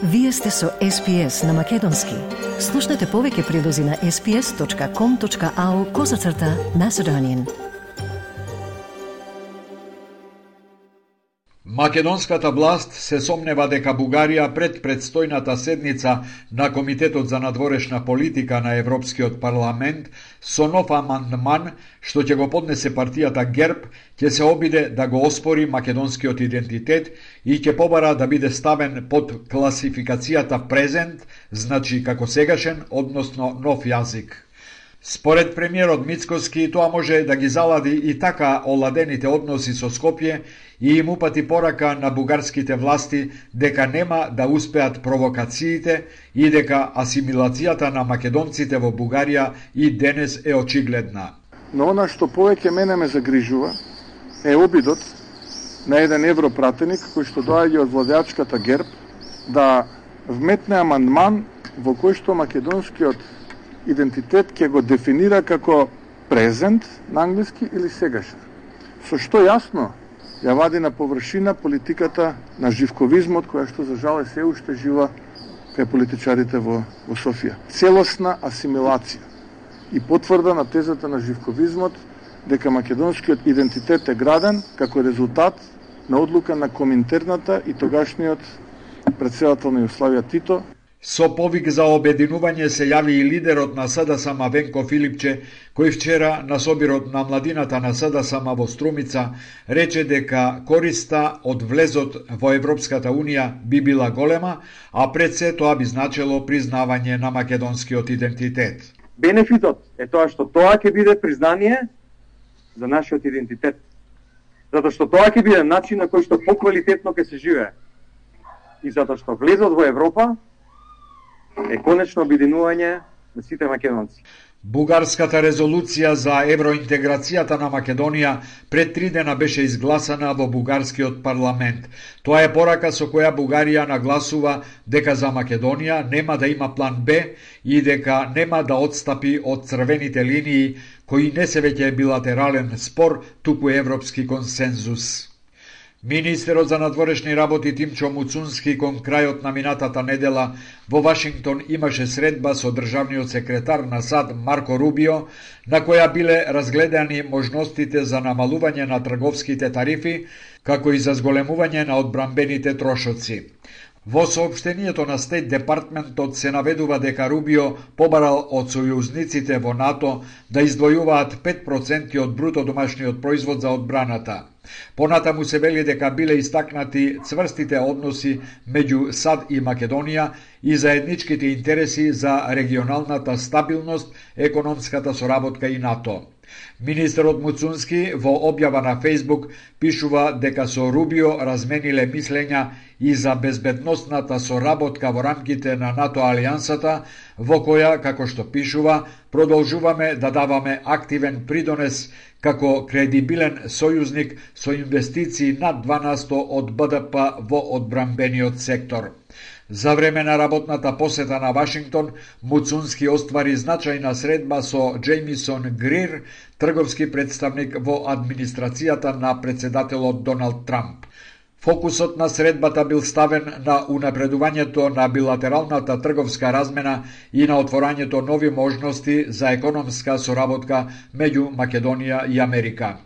Вие сте со SPS на Македонски. Слушнете повеќе прилози на sps.com.au/Macedonian. Македонската власт се сомнева дека Бугарија пред предстојната седница на Комитетот за надворешна политика на Европскиот парламент со нов амандман што ќе го поднесе партијата ГЕРБ ќе се обиде да го оспори македонскиот идентитет и ќе побара да биде ставен под класификацијата презент, значи како сегашен, односно нов јазик. Според премиерот Мицкоски, тоа може да ги залади и така оладените односи со Скопје и им упати порака на бугарските власти дека нема да успеат провокациите и дека асимилацијата на македонците во Бугарија и денес е очигледна. Но она што повеќе мене ме загрижува е обидот на еден европратеник кој што доаѓа од владеачката ГЕРБ да вметне амандман во кој што македонскиот идентитет ќе го дефинира како презент на англиски или сегашен. Со што јасно ја вади на површина политиката на живковизмот, која што за жал се уште жива кај политичарите во Софија. Целосна асимилација и потврда на тезата на живковизмот дека македонскиот идентитет е граден како резултат на одлука на Коминтерната и тогашниот претседател на Југославија Тито. Со повик за обединување се јави и лидерот на СДСМ Венко Филипче, кој вчера на собирот на младината на СДСМ во Струмица рече дека користа од влезот во Европската Унија би била голема, а пред се тоа би значело признавање на македонскиот идентитет. Бенефитот е тоа што тоа ќе биде признание за нашиот идентитет. Затоа што тоа ќе биде начин на кој што поквалитетно ќе се живее. И затоа што влезот во Европа е конечно обединување на сите македонци. Бугарската резолуција за евроинтеграцијата на Македонија пред 3 дена беше изгласана во бугарскиот парламент. Тоа е порака со која Бугарија нагласува дека за Македонија нема да има план Б и дека нема да отстапи од црвените линии кои не се веќе билатерален спор, туку европски консензус. Министерот за надворешни работи Тимчо Муцунски кон крајот на минатата недела во Вашингтон имаше средба со државниот секретар на САД Марко Рубио, на која биле разгледани можностите за намалување на трговските тарифи, како и за зголемување на одбранбените трошоци. Во соопштението на Стейт Департментот се наведува дека Рубио побарал од сојузниците во НАТО да издвојуваат 5% од бруто домашниот производ за одбраната. Понатаму се вели дека биле истакнати цврстите односи меѓу САД и Македонија и заедничките интереси за регионалната стабилност, економската соработка и НАТО. Министерот Муцунски во објава на Фејсбук пишува дека со Рубио размениле мислења и за безбедносната соработка во рамките на НАТО алијансата, во која, како што пишува, продолжуваме да даваме активен придонес како кредибилен сојузник со инвестиции над 2% од БДП во одбранбениот сектор. За време на работната посета на Вашингтон, Муцунски оствари значајна средба со Джеймисон Грир, трговски представник во администрацијата на председателот Доналд Трамп. Фокусот на средбата бил ставен на унапредувањето на билатералната трговска размена и на отворањето нови можности за економска соработка меѓу Македонија и Америка.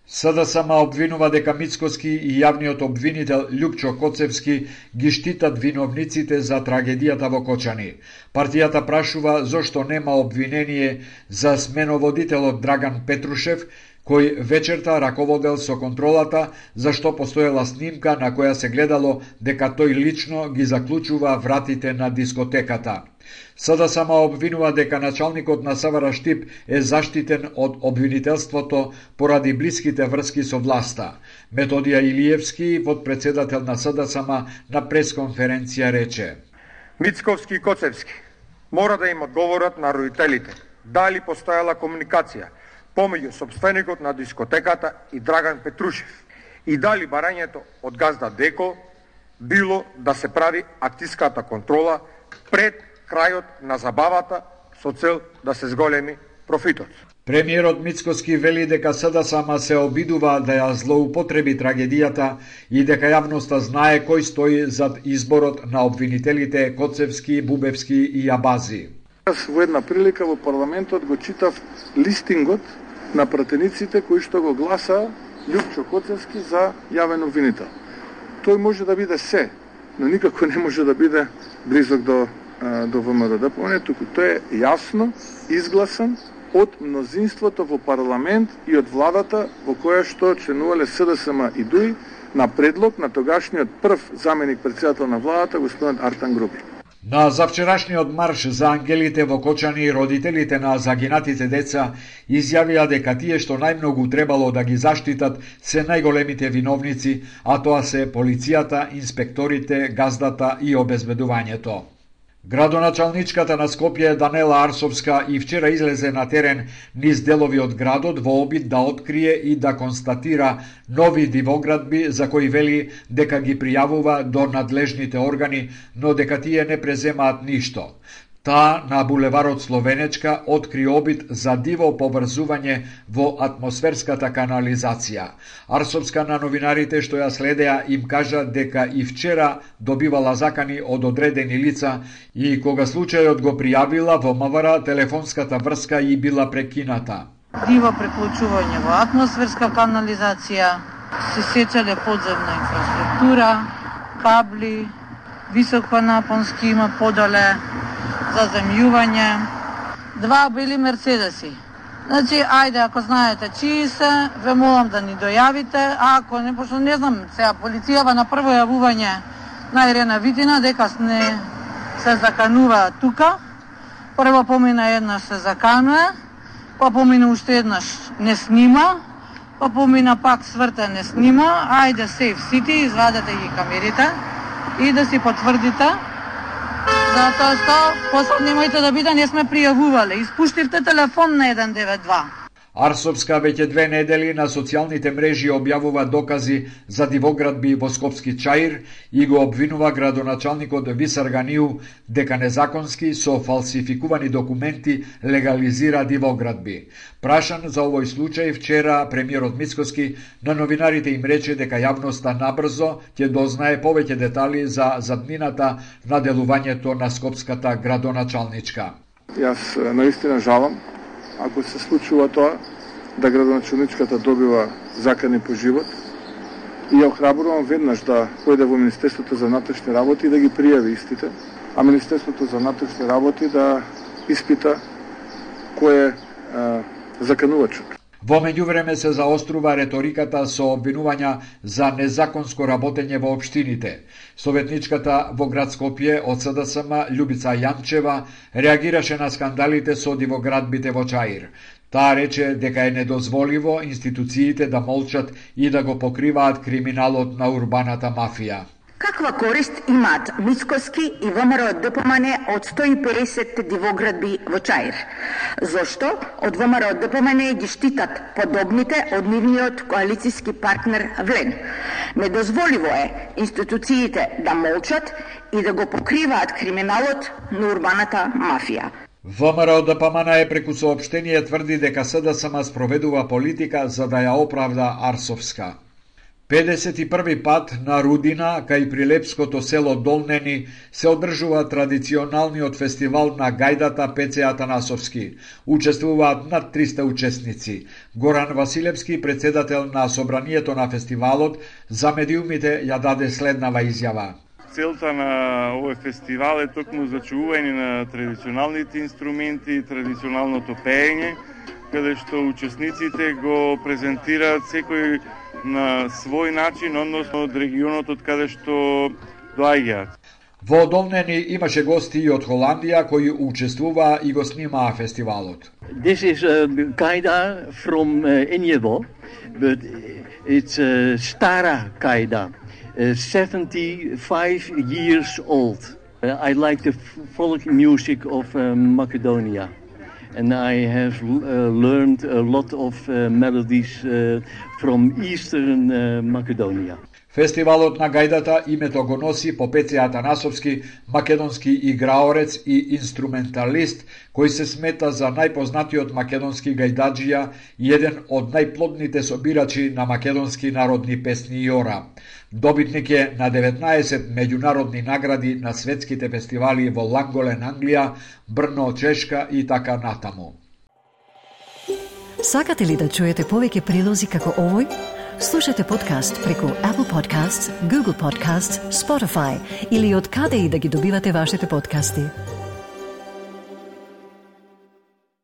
СДСМ обвинува дека Мицкоски и јавниот обвинител Љупчо Коцевски ги штитат виновниците за трагедијата во Кочани. Партијата прашува зошто нема обвинение за сменоводителот Драган Петрушев, кој вечерта раководел со контролата, зашто постоела снимка на која се гледало дека тој лично ги заклучува вратите на дискотеката. СДСМ обвинува дека началникот на СВР Штип е заштитен од обвинителството поради блиските врски со власта. Методија Илиевски, подпредседател на СДСМ, на пресконференција рече: Мицковски и Коцевски мора да им одговорат на родителите дали постојала комуникација помеѓу сопственикот на дискотеката и Драган Петрушев и дали барањето од газда Деко било да се прави актиската контрола пред крајот на забавата со цел да се зголеми профитот. Премиерот Мицкоски вели дека СДСМ се обидува да ја злоупотреби трагедијата и дека јавноста знае кој стои зад изборот на обвинителите Коцевски, Бубевски и Јабази. Во една прилика во парламентот го читав листингот на пратениците кои што го гласа Љупчо Коцевски за јавен обвинител. Тој може да биде се, но никако не може да биде близок до ВМРО-ДПМН, туку тој е јасно изгласан од мнозинството во парламент и од владата во која што членувале СДСМ и ДУИ на предлог на тогашниот прв заменик претседател на владата, господин Артан Груби. На завчерашниот марш за ангелите во Кочани, родителите на загинатите деца изјавија дека тие што најмногу требало да ги заштитат се најголемите виновници, а тоа се полицијата, инспекторите, газдата и обезбедувањето. Градоначалничката на Скопје Данела Арсовска и вчера излезе на терен низ делови од градот во обид да открие и да констатира нови дивоградби за кои вели дека ги пријавува до надлежните органи, но дека тие не преземаат ништо. Таа на булеварот Словенечка откри обид за диво поврзување во атмосферската канализација. Арсовска на новинарите што ја следеа им кажа дека и вчера добивала закани од одредени лица и кога случајот го пријавила во МВР, телефонската врска и била прекината. Диво преклучување во атмосферска канализација, се сечале подземна инфраструктура, кабли, високонапонски има подоле, заземјување, 2 бели мерцедеси. Значи, ајде, ако знаете чии се, ве молам да ни дојавите, а ако не, пошто не знам, сега полицијава на прво јавување на Ирена Витина дека не се заканува тука. Прво помина еднаш се заканува, па помина уште еднаш не снима, па помина пак сврте не снима, ајде Safe City, извадете ги камерите и да си потврдите. Затоа што после немојте да биде, не сме пријавувале. Испуштивте телефон на 192. Арсовска веќе 2 недели на социјалните мрежи објавува докази за дивоградби во Скопски Чаир и го обвинува градоначалникот Висар Ганиу дека незаконски со фалсификувани документи легализира дивоградби. Прашан за овој случај вчера премиерот Мицкоски на новинарите им рече дека јавноста набрзо ќе дознае повеќе детали за заднината на делувањето на Скопската градоначалничка. Јас наистина жалам ако се случува тоа, да градоначалничката добива закани по живот и ја охрабрувам веднаш да појде во Министерството за внатрешни работи и да ги пријави истите, а Министерството за внатрешни работи да испита кој е заканувачот. Во меѓувреме се заострува реториката со обвинувања за незаконско работење во општините. Советничката во град Скопје од СДСМ Љубица Јанчева реагираше на скандалите со дивоградбите во Чаир. Таа рече дека е недозволиво институциите да молчат и да го покриваат криминалот на урбаната мафија. Каква корист имаат Мицкоски и ВМРО-ДПМН од 150 дивоградби во Чаир? Зошто од ВМРО-ДПМН ги штитат подобните од нивниот коалициски партнер Влен? Недозволиво е институциите да молчат и да го покриваат криминалот на урбаната мафија. ВМРО-ДПМН преку соопштение тврди дека СДСМ спроведува политика за да ја оправда Арсовска. 51 пат на Рудина, кај прилепското село Долнени, се одржува традиционалниот фестивал на гајдата Пеце Атанасовски. Учествуваат над 300 учесници. Горан Василевски, председател на собранието на фестивалот, за медиумите ја даде следнава изјава. Целта на овој фестивал е токму зачувување на традиционалните инструменти, традиционалното пеење, каде што учесниците го презентираат секој на свој начин, односно од регионот од каде што доаѓаат. Во Долнени имаше гости и од Холандија кои учествуваа и го снимаа фестивалот. This is a kaida from Enjebo, but it's Stara kaida, 75 years old. I like the folk music of Macedonia. And I have learned a lot of melodies from Eastern Macedonia. Фестивалот на гајдата името го носи по Пеце Атанасовски, македонски играорец и инструменталист, кој се смета за најпознатиот македонски гајдаджија и еден од најплодните собирачи на македонски народни песни и ора. Добитник е на 19 меѓународни награди на светските фестивали во Ланголен, Англија, Брно, Чешка и така натаму. Сакате ли да чуете повеќе прилози како овој? Слушате подкаст преку Apple Podcasts, Google Podcasts, Spotify или од каде и да ги добивате вашите подкасти.